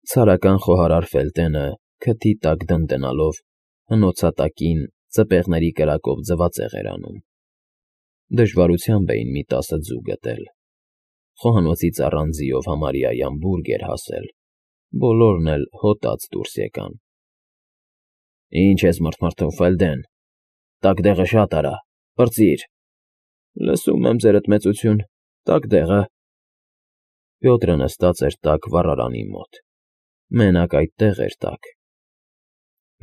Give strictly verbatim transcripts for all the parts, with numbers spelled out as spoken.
Ցարական խոհարար Ֆելտենը, քթի տակ դնդենալով, հնոցատակին ծպեղների կրակով ձվածեղ էր անում. դժվարությամբ էին մի տասը ձու գտել, խոհանոցից առանձիով համարյա Յամբուրգ էր հասել, բոլորն էլ հոտած դուրս եկան։ ֊ Ի՞նչ ես մռթմռթում, Ֆելդեն, տակդեղը շատ արա, պրծիր։ ֊ Լսում եմ, ձերդ մեծություն, տակդեղը… Պյոտրը նստած էր տաք վառարանի մոտ, մենակ այդտեղ էր տաք։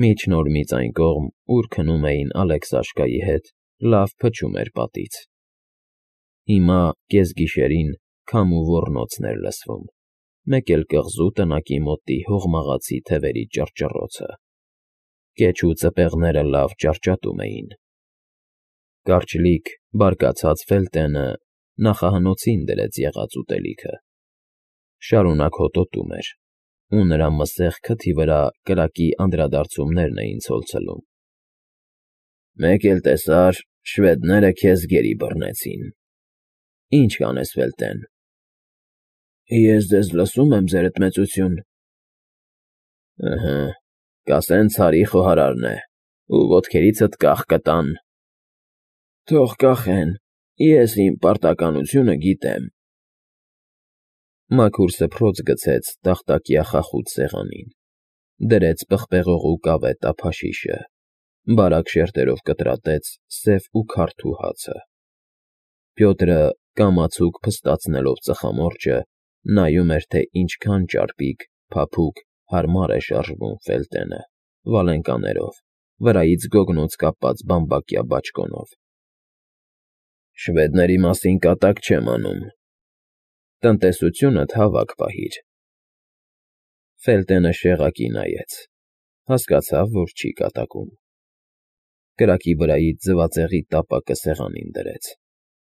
Միջնորմից այն կողմ, ուր քնում էին Ալեքսաշկայի հետ, լավ փչում էր պատից։ Հիմա, կեսգիշերին, քամու ոռնոցն էր լսվում, մեկ էլ կղզու տնակի մոտի հողմաղացի թևերի ճռճռոցը։ Կեչու ծպեղները լավ ճարճատում էին։ Կարճլիկ, բարկացած Ֆելտենը նախահնոցին դրեց եղած ուտելիքը, շարունակ հոտոտում էր, ու նրա մսեղ քթի վրա կրակի անդրադարձումներն էին ցոլցվում։ ֊ Մեկ էլ տեսար, շվեդները քեզ գերի բռնեցին… Ի՞նչ կանես, Ֆելտեն։ ֊ Ես ձեզ լսում եմ, ձերդ մեծություն… ֊ Ըհը, կասեն Ցարի խոհարարն է, ու ոտքերիցդ կախ կտան… ֊ Թող կախեն, ես իմ պարտականությունը գիտեմ… Մաքուր սփռոց գցեց տախտակյա խախուտ սեղանին, դրեց պղպեղողու կավե տափաշիշը, բարակ շերտերով կտրատեց սև ու քարթու հացը։ Պյոտրը, կամացուկ փստացնելով ծխամորճը, նայում էր, թե ինչքան ճարպիկ, փափուկ, հարմար է շարժվում Ֆելտենը, վալենկաներով, վրայից գոգնոց կապած բամբակյա բաճկոնով։ ֊ Շվեդների մասին կատակ չեմ անում… Տնտեսությունդ հավաք պահիր… Ֆելտենը շեղակի նայեց, հասկացավ, որ չի կատակում։ Կրակի վրայից ձվածեղի տապակը սեղանին դրեց,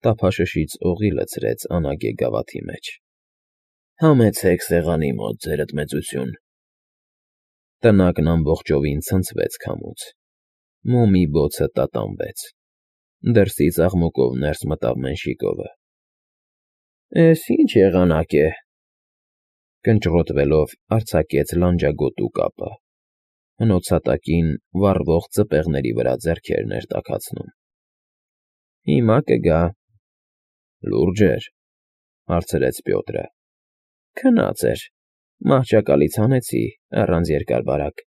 տափաշշից օղի լցրեց անագե գավաթի մեջ։ ֊ Համեցեք սեղանի մոտ, ձերդ մեծություն… Տնակն ամբողջովին ցնցվեց քամուց, մոմի բոցը տատանվեց, դրսից աղմուկով ներս մտավ Մենշիկովը։ ֊ Էս ի՞նչ եղանակ է… Կնճռոտվելով արձակեց լանջագոտու կապը, հնոցատակին վառվող ծպեղների վրա ձեռքերն էր տաքացնում։ ֊ Հիմա կգա… ֊ Լուրջ էր…֊ հարցրեց Պյոտրը։ ֊ Քնած էր, մահճակալից հանեցի, առանց երկար֊բարակ…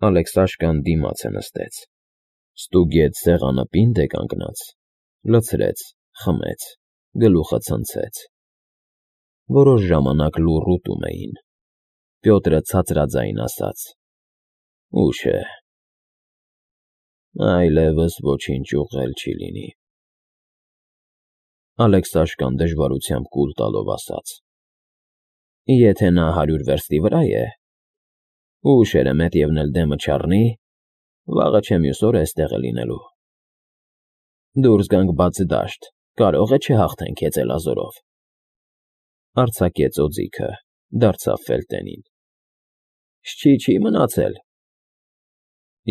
Ալեքսաշկան դիմացը նստեց, ստուգեց սեղանը պինդ է կանգնած, լցրեց, խմեց, գլուխը ցնցեց։ Որոշ ժամանակ լուռ ուտում էին։ Պյոտրը ցածրաձայն ասաց. ֊ Ուշ է… Այլևս ոչինչ ուղղել չի լինի… Ալեքսաշկան դժվարությամբ կուլ տալով ասաց. ֊ Եթե նա հարյուր վերստի վրա է, ու ուշերը մետևն էլ դեմը չառնի, վաղը չէ մյուս օրը էստեղ է լինելու… Դուրս գանք բաց դաշտ, կարող է չհաղթենք հեծելազորով… Արձակեց օձիքը, դարձավ Ֆելտենին. ֊ Շչի չի մնացել…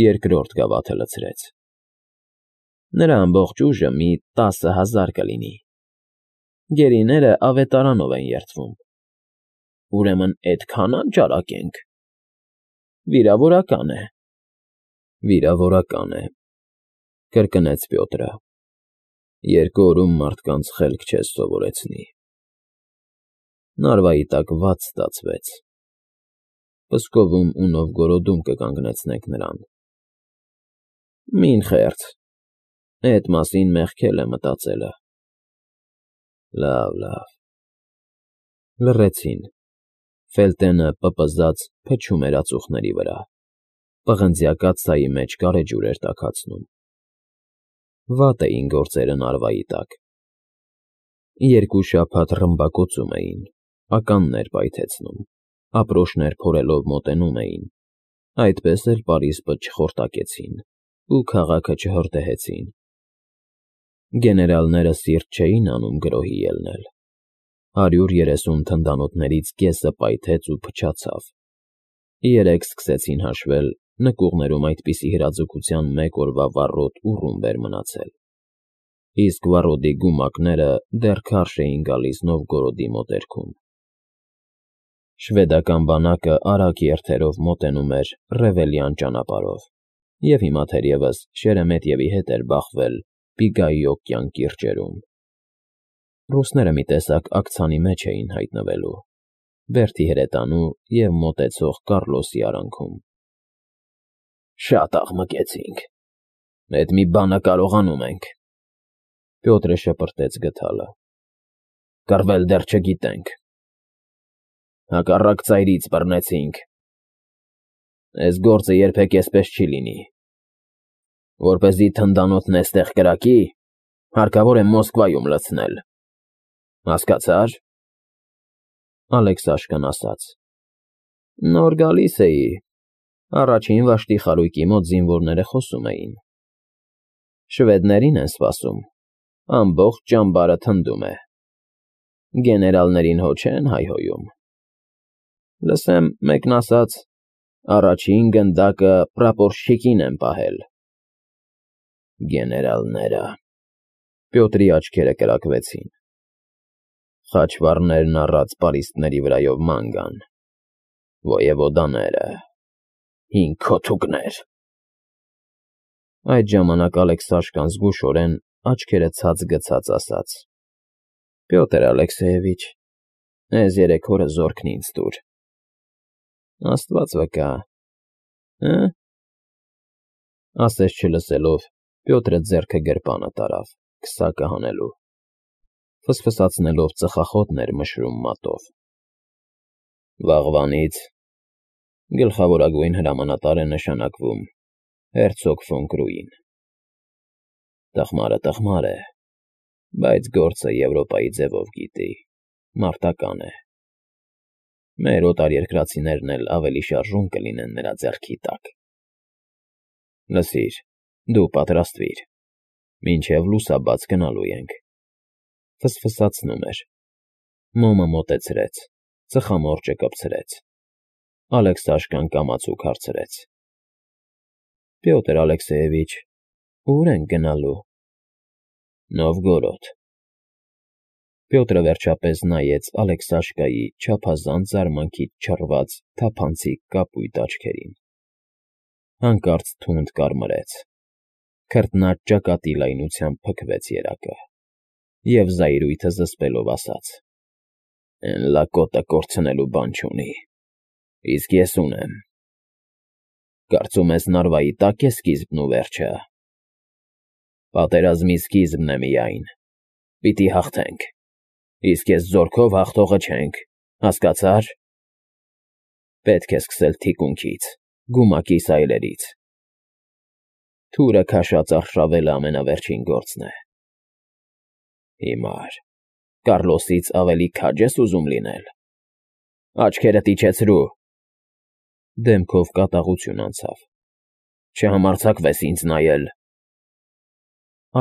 Երկրորդ գավաթը լցրեց։ ֊ Նրա ամբողջ ուժը մի տասը հազար կլինի… Գերիները ավետարանով են երդվում… Ուրեմն էդքան անճարակ ենք… Վիրավորական է… ֊ Վիրավորական է…֊ կրկնեց Պյոտրը։ ֊ Երկու օրում մարդկանց խելք չես սովորեցնի… Նարվայի տակ վատ ստացվեց… Պսկովում ու Նովգորոդում կկանգնեցնենք նրան… Մին խեղճ… Էդ մասին մեղքել է մտածելը… Լավ, լավ… Լռեցին… Ֆելտենը, պպզած, փչում էր ածուխների վրա, պղնձյա կաթսայի մեջ գարեջուր էր տաքացնում… Վատ էին գործերը Նարվայի տակ… Երկու շաբաթ ռմբակոծում էին, ականներ պայթեցնում, ապրոշներ փորելով մոտենում էին, այդպես էլ պարիսպը չխորտակեցին ու քաղաքը չհրդեհեցին… Գեներալները սիրտ չէին անում գրոհի ելնել… Հարյուր երեսուն թնդանոթներից կեսը պայթեց ու փչացավ… Երեկ սկսեցին հաշվել, նկուղներում այդպիսի հրաձգության մեկ օրվա վառոդ ու ռումբ էր մնացել, իսկ վառոդի գումակները դեռ քարշ էին գալիս Նովգորոդի մոտերքում… Շվեդական բանակը արագ երթերով մոտենում էր Ռևելյան ճանապարհով, և հիմա թերևս Շերեմետևի հետ էր բախվել Պիգայի օկեան կիրճերում։ Ռուսները մի տեսակ աքցանի մեջ էին հայտնվելու, Բերդի հրետանու և մոտեցող Կառլոսի արանքում։ Շատ աղմկեցինք, էդ մի բանը կարողանում ենք, Պյոտրը շպրտեց գդալը։ Կռվել դեռ չգիտենք։ Հակառակ ծայրից բռնեցինք։ Էս գործը երբեք էսպես չի լինի։ Որպեսզի թնդանոթն էստեղ կրակի, հարկավոր է Մոսկվայում լցնել։ Հասկացա՞ր։ Ալեքսաշկան ասաց. Նոր գալիս էի, առաջին վաշտի խարույկի մոտ զինվորները խոսում էին։ Շվեդներին են սպասում, ամբողջ ճամբարը թնդում է։ Գեներալներին հո չեն հայհոյում։ Լսեմ, մեկն ասաց, առաջին գնդակը պրապորշչիկին են պահել։ Գեներալները… Պյոտրի աչքերը կրակվեցին։ Խաչվառներն առած պարիսպների վրայով ման գան, ոևոդաները, հին քոթուկներ… Այդ ժամանակ Ալեքսաշկան զգուշորեն աչքերը ցած գցած ասաց. Պյոտր Ալեքսեևիչ, էս երեք օրը զորքն ինձ տուր։ Աստված վկա, հը… Ասես չլսելով, Պյոտրը ձեռքը գրպանը տարավ, քսակը հանելու, ֆսֆսացնելով ծխախոտներ մշրում մատով։ Վաղվանից գլխավորագույն հրամանատար է նշանակվում հերցոգ ֆոն Կրուին։ Տխմարը տխմար է, բայց գործը Եվրոպայի ձևով գիտի, մարտական է։ Մեր օտարերկրացիներն էլ ավելի շարժուն կլինեն նրա ձեռքի տակ։ Լսիր, դու պատրաստվիր, մինչև լուսաբաց գնալու ենք։ Ֆսֆսացնում էր։ Մոմը մոտեցրեց, ծխամորճը կպցրեց։ Ալեքսաշկան կամացուկ հարցրեց. Պյոտր Ալեքսեևիչ, ո՞ւր ենք գնալու։ Նովգորոդ։ Պյոտրը վերջապես նայեց Ալեքսաշկայի չափազանց զարմանքից չռված թափանցիկ կապույտ աչքերին։ Հանկարծ թունդ կարմրեց, քրտնած ճակատի լայնությամբ փքվեց երակը, և զայրույթը զսպելով ասաց. Էն լակոտը կորցնելու բան չունի, իսկ ես ունեմ։ Կարծում ես նարվայի տա՞կ է սկիզբն ու վերջը։ Պատերազմի սկիզբն է միայն, պիտի հաղթենք, իսկ ես զորքով հաղթողը չենք, հասկացա՞ր։ Պետք է սկսել թիկունքից, գումակի սայլերից։ Թուրը քաշած արշավելը ամենավերջին գործն է։ Հիմար, Կառլոսից ավելի քաջ ես ուզում լինել։ Աչքերդ իջեցրու։ Դեմքով կատաղություն անցավ։ Չհամարձակվես ինձ նայել։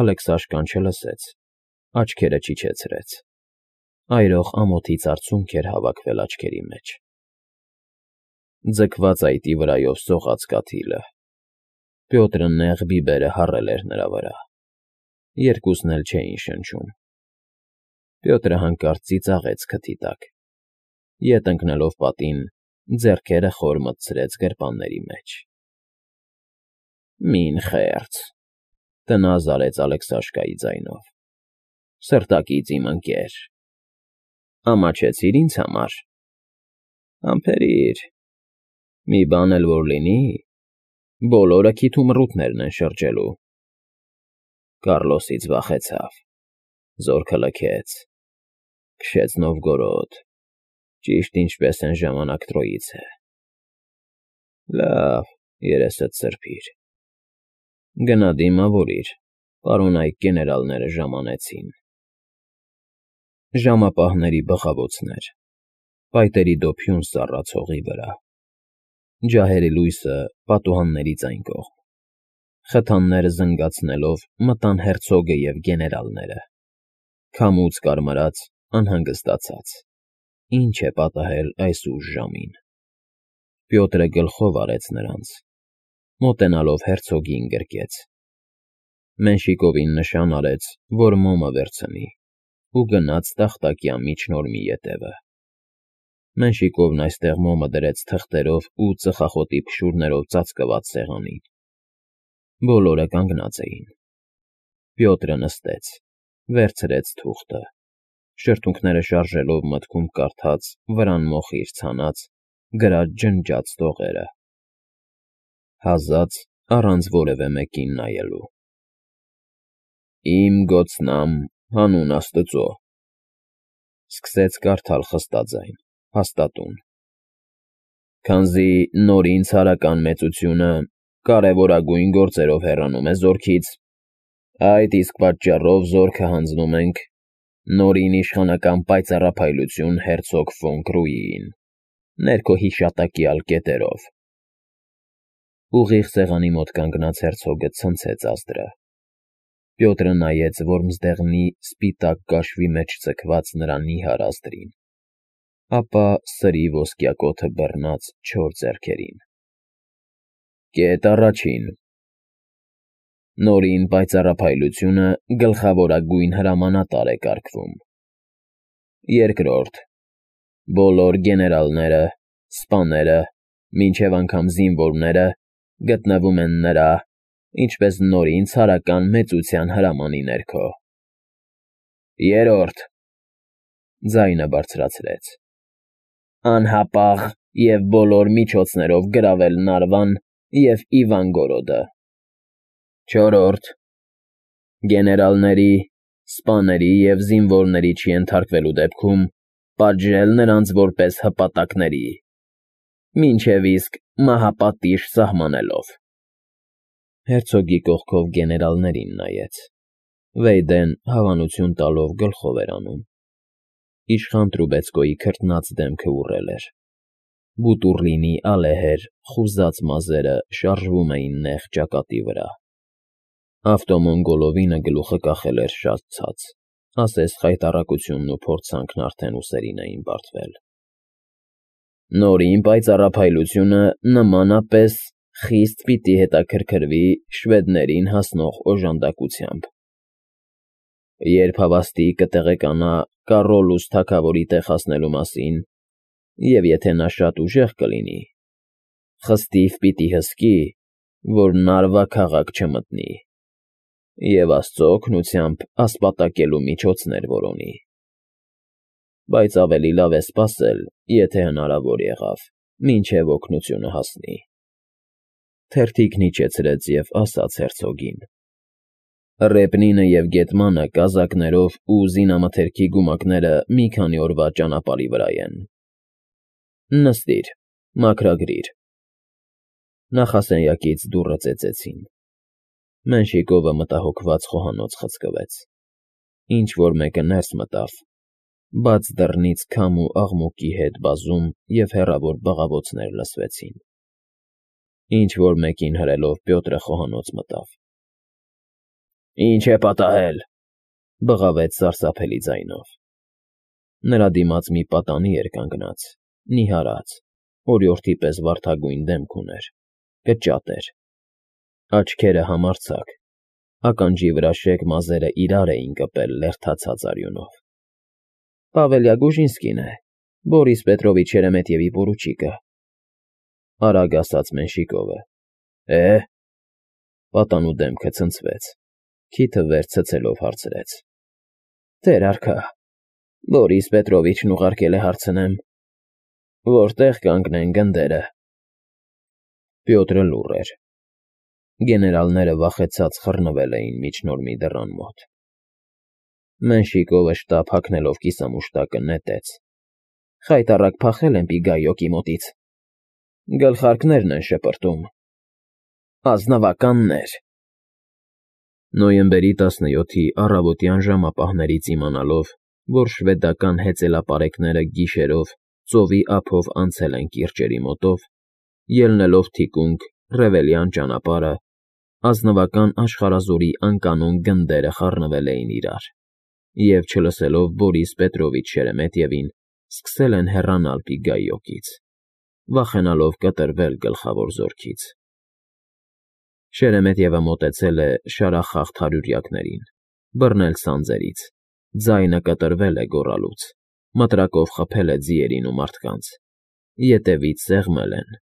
Ալեքսաշկան չլսեց, աչքերը չիջեցրեց։ Այրող ամոթից արցունք էր հավաքվել աչքերի մեջ։ Ձգված այտի վրայով սողաց կաթիլը։ Պյոտրը նեղ բիբերը հառել էր նրա վրա։ Երկուսն էլ չէին շնչում։ Պյոտրը հանկարծ ծիծաղեց քթի տակ։ Ետ ընկնելով պատին, ձեռքերը խոր մտցրեց գրպանների մեջ։ Մին խեղճ, տնազ արեց Ալեքսաշկայի ձայնով։ Սրտակից իմ ընկեր։ Ամաչեցիր ինձ համար։ Համբերիր, մի բան էլ որ լինի, բոլորը քիթ ու մռութներն են շրջելու։ Կառլոսից վախեցավ, զորքը լքեց, քշեց Նովգորոդ, ճիշտ ինչպես են ժամանակ Տրոյիցե։ Լավ, երեսդ սրբիր։ Գնա դիմավորիր, պարոնայք գեներալները ժամանեցին։ Ժամապահների բղավոցներ, պայտերի դոփյուն սառած հողի վրա, ջահերի լույսը պատուհանների այն կողմ, խթանները զնգացնելով մտան հերցոգը և գեներալները, քամուց կարմրած, անհանգստացած, ինչ է պատահել այս ուշ ժամին։ Պյոտրը գլխով արեց նրանց, մոտենալով հերցոգին գրկեց։ Մենշիկովին նշան արեց, որ մոմը վերցնի, ու գնաց տախտակյա միջնորմի ետևը։ Մենշիկովն այստեղ մոմը դրեց թղթերով ու ծխախոտի փշուրներով ծածկված սեղանին։ Բոլորը կանգնած էին։ Պյոտրը նստեց, վերցրեց թուղթը, շրթունքները շարժելով մտքում կարդաց վրան մոխիր ցանած, գրած ջնջած տողերը։ Հազաց առանց որևէ մեկին նայելու։ Իմ գոցնամ հանուն Աստծո, սկսեց կարդալ խստաձայն, հաստատուն։ Քանզի նորին ցարական մեծությունը կարևորագույն գործերով հեռանում է զորքից, այդ իսկ պատճառով զորքը հանձնում ենք նորին իշխանական պայծառափայլություն հերցոգ ֆոն Կրուիին, ներքո հիշատակյալ կետերով։ Ուղիղ սեղանի մոտ կանգնած հերցոգը ցնցեց ազդրը։ Պյոտրը նայեց որմզդեղնի սպիտակ կաշվի մեջ ձգված նրա նիհար ազդրին, ապա սրի ոսկյակոթը բռնած չոր ձեռքերին։ Կետ առաջին. Նորին պայծառափայլությունը գլխավորագույն հրամանատար է կարգվում։ Երկրորդ. Բոլոր գեներալները, սպաները, մինչև անգամ զինվորները գտնվում են նրա, ինչպես նորին ցարական մեծության հրամանի ներքո։ Երրորդ. Ձայնը բարձրացրեց. Անհապաղ և բոլոր միջոցներով գրավել Նարվան և Իվանգորոդը։ Չորրորդ. Գեներալների, սպաների և զինվորների չենթարկվելու դեպքում պատժել նրանց որպես հպատակների, մինչև իսկ մահապատիժ սահմանելով։ Հերցոգի կողքով գեներալներին նայեց։ Վեյդեն հավանություն տալով գլխով էր անում։ Իշխան Տրուբեցկոյի քրտնած դեմքը ուռել էր։ Բուտուռլինի ալեհեր, խուզած մազերը շարժվում էին նեղ ճակատի վրա։ Ավտոմոնգոլովինը գլուխը կախել էր շատ ցած, ասես խայտառակությունն ու փորձանքն արդեն ուսերին էին բարդվել։ Նորին պայծառափայլությունը նմանապես խիստ պիտի հետաքրքրվի շվեդներին հասնող օժանդակությամբ։ Երբ հավաստի կտեղեկանա Կառոլուս թագավորի տեղ հասնելու մասին, և եթե նա շատ ուժեղ կլինի, խստիվ պիտի հսկի, որ Նարվա քաղաք չմտնի, և Աստծո օգնությամբ ասպատակելու միջոցներ որոնի։ Բայց ավելի լավ է սպասել, եթե հնարավոր եղավ, մինչև օգնությունը հասնի։ Թերթիկն իջեցրեց և ասաց հերցոգին. Ռեպնինը և Գետմանը կազակներով ու զինամթերքի գումակները մի քանի օրվա ճանապարհի վրա են։ Նստիր, մաքրագրիր։ Նախասենյակից դուռը ծեծեցին։ Մենշիկովը մտահոգված խոհանոց խցկվեց։ Ինչ֊որ մեկը ներս մտավ, բաց դռնից քամ ու աղմուկի հետ բազում և հեռավոր բղավոցներ լսվեցին։ Ինչ֊որ մեկին հրելով Պյոտրը խոհանոց մտավ։ Ի՞նչ է պատահել,֊ բղավեց սարսափելի ձայնով։ Նրա դիմաց մի պատանի էր կանգնած, նիհարած, օրիորդի պես վարդագույն դեմք ուներ, կճատ էր, աչքերը համարձակ, ականջի վրա շեկ մազերը իրար էին կպել լերդացած արյունով։ Պավել Յագոժինսկին է, Բորիս Պետրովիչ Շերեմետյևի պորուչիկը,֊ արագ ասաց Մենշիկովը։ Է՞… Պատանու դեմքը ցնցվեց, քիթը վեր ցցելով հարցրեց. Տեր արքա, Բորիս Պետրովիչն ուղարկել է հարցնեմ, որտե՞ղ կանգնեն գնդերը։ Պյոտրը լուռ էր։ Գեներալները վախեցած խռնվել էին միջնորմի դռան մոտ։ Մենշիկովը շտապ հագնելով կիսամուշտակը նետեց. Խայտառակ փախել են Պիգայոկի մոտից։ Գլխարկներն են շպրտում։ Ազնվականներ… Նոյեմբերի տասնյոթի առավոտյան ժամապահներից իմանալով, որ շվեդական հեծելապարեկները գիշերով ծովի ափով անցել են կիրճերի մոտով, ելնելով թիկունք Ռևելյան ճանապարհը, ազնվական աշխարհազորի անկանոն գնդերը խառնվել էին իրար, և, չլսելով Բորիս Պետրովիչ Շերեմետյևին, սկսել են հեռանալ Պիգայոկից, վախենալով կտրվել գլխավոր զորքից։ Շերեմետյևը մոտեցել է շարախախտ հարյուրյակներին, բռնել սանձերից, ձայնը կտրվել է գոռալուց։ մտրակով խփել է ձիերին ու մարդկանց, ետևից սեղմել են,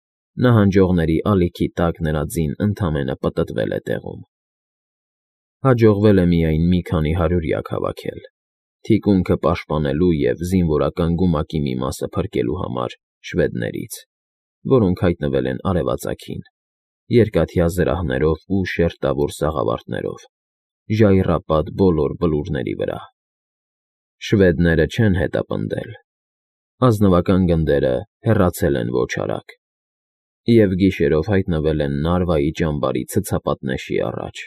նահանջողների ալիքի տակ նրա ձին ընդամենը պտտվել է տեղում։ Հաջողվել է միայն մի քանի հարյուրյակ հավաքել, թիկունքը պաշտպանելու և զինվորական գումակի մի մասը փրկելու համար շվեդներից, որոնք հայտնվել են արևածագին, երկաթյա զրահներով ու շերտավոր սաղավարտներով, ժայռապատ բոլոր բլուրների վրա։ Շվեդները չեն հետապնդել, ազնվական գնդերը հեռացել են ոչ արագ և գիշերով հայտնվել են Նարվայի ճամբարի ցցապատնեշի առաջ։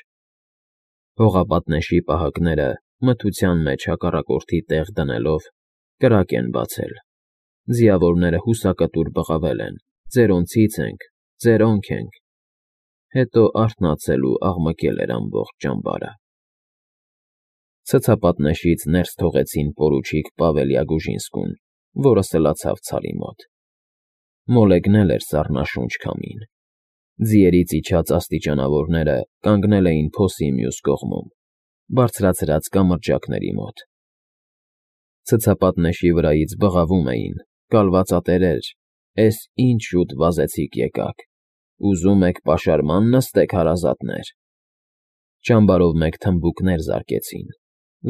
Հողապատնեշի պահակները մթության մեջ հակառակորդի տեղ դնելով կրակ են բացել, ձիավորները հուսակտուր բղավել են. «Ձերոնցից ենք, ձերոնք ենք», հետո արթնացել ու աղմկել էր ամբողջ ճամբարը։ Ցցապատնեշից ներս թողեցին պորուչիկ Պավել Յագուժինսկուն, որը սլացավ Ցարի մոտ։ Մոլեգնել էր սառնաշունչ քամին։ Ձիերից իջած աստիճանավորները կանգնել էին փոսի մյուս կողմում, բարձրացրած կամրջակների մոտ։ Ցցապատնեշի վրայից բղավում էին. «Կալվածատերեր, էս ինչ շուտ վազեցիք եկաք, ուզում եք պաշարման նստեք, հարազատներ»։ Ճամբարով մեկ թմբուկներ զարկեցին,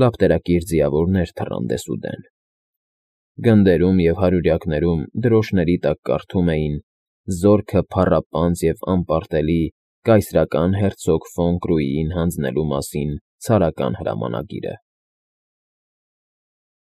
լապտերակիր ձիավորներ թռան դեսուդեն։ Գնդերում և հարյուրյակներում դրոշների տակ կարդում էին «Զորքը փառապանծ և անպարտելի կայսրական հերցոգ ֆոն Կրուիին հանձնելու մասին ցարական հրամանագիրը»։